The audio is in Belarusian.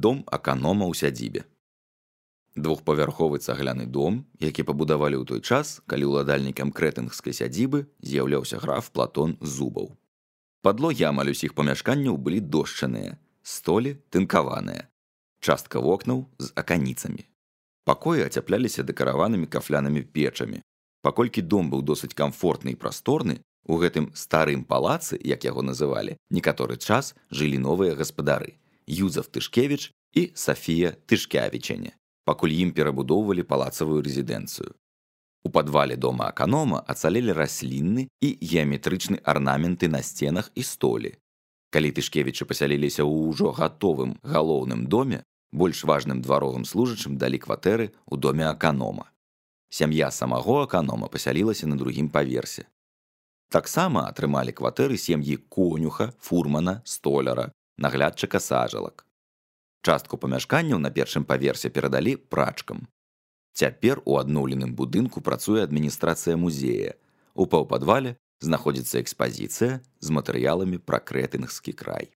Дом аканома ў сядзібе. Двухпавярховы цагляны дом, які пабудавалі ў той час, калі ўладальнікам крэтэнгскай сядзібы з'яўляўся граф Платон Зубаў. Падлогі амаль усіх памяшканняў былі дошчаныя, столі тынкаваныя, частка вокнаў з аканіцамі. Пакоі ацяпляліся дэкараванымі кафлянымі печамі. Паколькі дом быў досыць камфортны і прасторны, у гэтым старым палацы, як яго называлі, некаторы час жылі новыя гаспадары Юзеф Тышкевіч і Сафія Тышкявічене, пакуль ім перабудоўвалі палацавую рэзідэнцыю. У падвале дома аканома ацалелі раслінны і геаметрычны арнаменты на сценах і столі. Калі Тышкевічы пасяліліся ў ўжо гатовым галоўным доме, больш важным дваровым служачым далі кватэры ў доме аканома. Сям'я самого аканома пасялілася на другім паверсе. Таксама атрымалі кватэры сем'і конюха, фурмана, столяра, наглядчыка сажалак. Частку памяшканняў на першым паверсе перадалі прачкам. Цяпер у адноўленым будынку працуе адміністрацыя музея. У паўпадвале знаходзіцца экспазіцыя з матэрыяламі пра крэтэнгскі край.